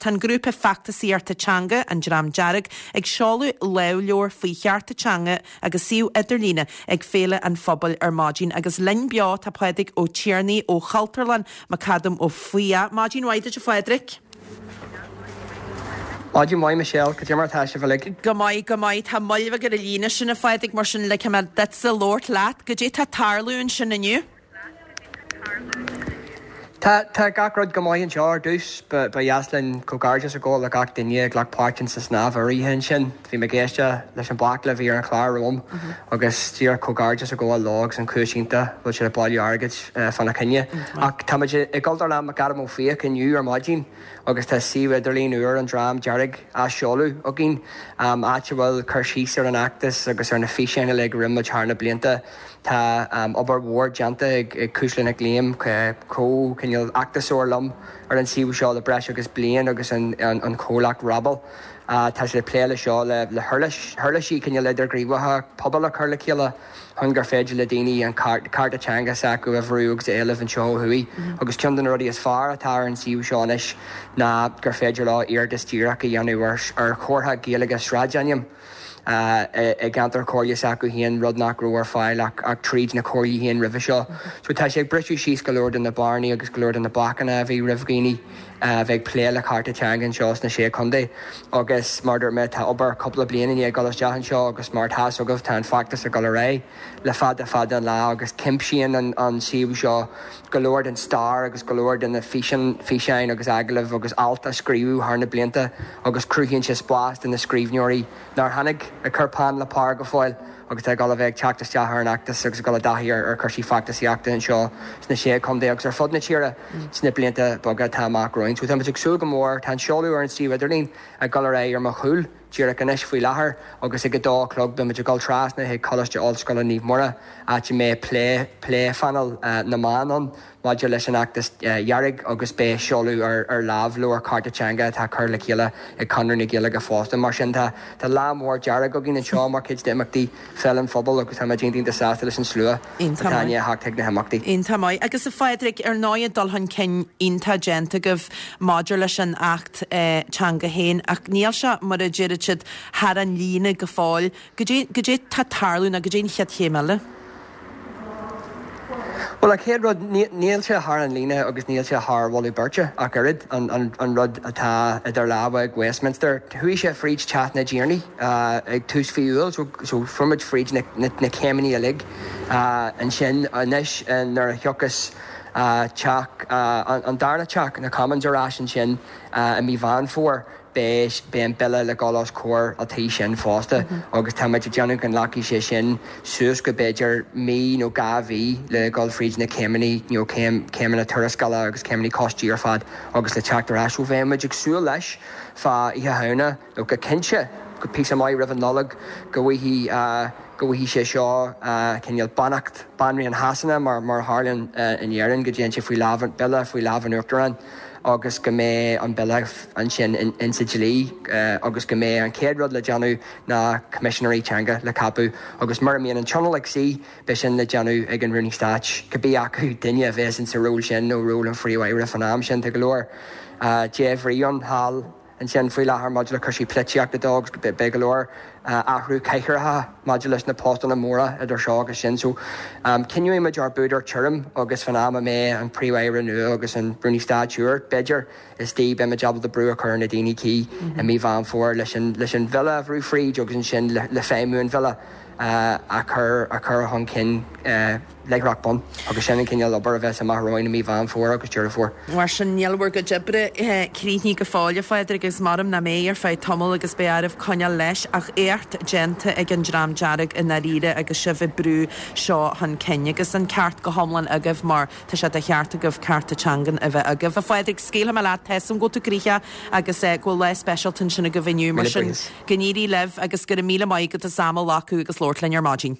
Tá an grúpa feachtasaíochta teanga, An Dream Dearg, ag seoladh lámhleabhar faoi chearta teanga agus suíomh idirlíne ag Féile an Phobail ar maidin agus linn beo tá Pádraig Ó Tiarnaigh ó Chultúrlann McAdam Ó Fiaich. Maidin mhaith duit a Phádraig. Maidin mhaith Michelle, cad é mar atá sibh uilig? Go maith, go maith. Tá moill bheag ar an líne sin a Phádraig mar sin ligfidh mé duitse labhairt leat. Goidé tá ag tarlú ansin inniu? Tá, tá gach rud go maith anseo ar dtús. Ba, ba dheas linn comhghairdeas a ghabháil le gach duine a ghlac páirt in sa snámh ar oíche ansin. Bhí mé ag éisteacht leis an bhaicle a bhí ar an chlár romham agus díreach comhghairdeas a ghabháil leo agus an chúis iontach a bhfuil siad ag bailiú airgid fána choinne. Ach tá muid i gCultúrlann McAdam Ó Fiaich inniu ar maidin agus tá suíomh idirlín úr an Dream Dearg á seoladh againn, áit a bhfuil cur síos ar an fheachtas agus ar na físeáin uilig a rinne muid thar na blianta. Tá obair mhór déanta ag Cuisle Nic Liam, comh, cineál, fheachtasóir liom ar an suíomh seo le breis agus bliain agus an comhlacht Rabble. Tá siad ag plé le seo le huirlis, huirlisí cineál idirghníomhacha pobail a chur le chéile chun gur féidir le daoine an cearta teanga s'acu a bhrú agus a éileamh anseo ó thuaidh. Agus ceann de na rudaí is fearr atá ar an suíomh seo anois ná gur féidir leo iarratas díreach a dhéanamh ar chomhartha Gaeilge sráidainm. i gceantar comhairle s'acu féin, rud nach raibh ar fáil ach tríd na comhairlí féin roimhe seo. So tá sé ag briseadh síos go leor de na bearnaí agus go leor de na bacanna a bhí roimh dhaoine a bheith ag plé le cearta teanga anseo sna Sé Chontae. Agus mar a dúirt mé, tá obair cúpla bliain i ndiaidh dul isteach anseo agus mar atá fhios agaibh tá an feachtas ag dul ar aghaidh le fada fada an lá agus cuimsíonn an suíomh seo go leor den stair agus go leor de na físeáin agus agallaimh agus ailt a scríobhadh thar na blianta agus cruthaíonn sé spás do na scríbhneoirí nár tháinig ag cur peann le pár go fóill agus atá ag dul a bheith ag teacht isteach ar an fheachtas agus ag dul i dtaithí ar chúrsaí feachtasaíochta anseo sna Sé Chontae agus ar fud na tíre sna blianta beaga atá amach romhainn. So tá muid ag súil go mór. Tá an seoladh ar an suíomh idirlín ag dul ar aghaidh ar mo chúl. Díreach anois faoi láthair agus ag a dó a chlog beimid ag dul trasna chuig Coláiste Ollscoile Naomh Muire áit a mbeidh plé pléphainéal na meán ann maidir leis an fheachtas dhearg agus beidh seoladh ar ar lámhleabhar cearta teanga atá curtha le chéile ag Conradh na Gaeilge fosta. Mar sin tá tá lá mór dearg againn anseo mar chuid d'imeachtaí Féile an Phobail agus tá muid iontach iontach sásta leis an slua atá i ndiaidh a theacht chuig na himeachtaí. Iontach maith. Agus a Phádraig, ar ndóigh dul chun cinn iontach déanta agaibh maidir leis an Acht Teanga féin ach níl sé, mar a deireann siad, thar an líne go fóill. Goidé, goidé tá ag tarlú nó goidé an chéad chéim eile? Bhuel, an chéad rud, níl sé thar an líne agus níl sé thar mholadh beirte ach oiread, an rud atá idir lámha ag Westminster. Chuaigh sé fríd Teach na dTiarnaí ag tús mhí Iúil so fuair muid fríd na céimeanna uilig ansin. Anois nuair a thiocfas teach, an darna teach, na Commons ar ais ansin i mí Mheán Fómhair, Beidh beidh an bille le dhul os comhair an tí sin fosta agus tá muid ag déanamh go nglacfaidh sé sin suas go b'fhéidir mí nó 2 mhí le dhul fríd na céimeanna, you know, céim, céimeanna tuarascála agus céimeanna coistí ar fad agus le teacht ar ais. So bheadh muid ag súil leis fá Oíche Shamhna nó go cinnte go píosa maith roimh an Nollaig go bhfaighidh, go bhfaighidh sé seo cineál beannacht Banríon Shasana mar mar a tharlaíonn in Éirinn go dtéann sé faoi lámh, bille faoi lámh an Uachtaráin. agus go mbeidh an bille ansin insa dlí agus go mbeidh an chéad rud le déanamh ná Coimisinéirí Teanga le ceapadh agus mura mbíonn an Tionól ag suí, beidh sin le déanamh ag an Rúnaí Stáit, cibé acu duine a bheas insa ról sin nó ról an Phríomh-Aire fán am sin. Tá go leor débhrí ann thall ansin faoi láthair maidir le cúrsaí polaitíochta de agus beidh go leor athrú cathaoireacha maidir leis na postanna móra idir seo agus sin. So coinneoidh muid ár bpúdar tirim agus fan am a mbeidh an Príomh-Aire nua agus an Rúnaí Stáit úr, b'fhéidir, istigh, beidh muid ábalta brú a chur ar na daoine cuí i mí Mheán Fómhair leis an leis an bhille a bhrú fríd agus ansin le feidhmiú an bhille a chur a chur chun cinn. Láithreach bonn, agus sin an cineál obair a bheas amach romhainn i mí Mheán Fómhair agus Deireadh Fómhair. Mar sin, níl bhur gcuid oibre críochnaithe go fóill, a Phádraig, agus maram nach mbeidh ar feadh tamaill agus beidh oraibh coinneáil leis, ach éacht déanta ag an Dream Dearg i ndáiríre agus sibh ag brú seo chun cinn. Agus an ceart go hiomlán agaibh mar tá sé de cheart agaibh cearta teangan a bheith agaibh. A Phádraig, scaoilfidh mé leat, tá 'fhios a'm go bhfuil tú gnoitheach agus go bhfuil lá speisialta ansin agaibh inniu, mar sin go n-éirí libh agus go raibh míle maith agat as am a ghlacadh agus labhairt linn ar maidin.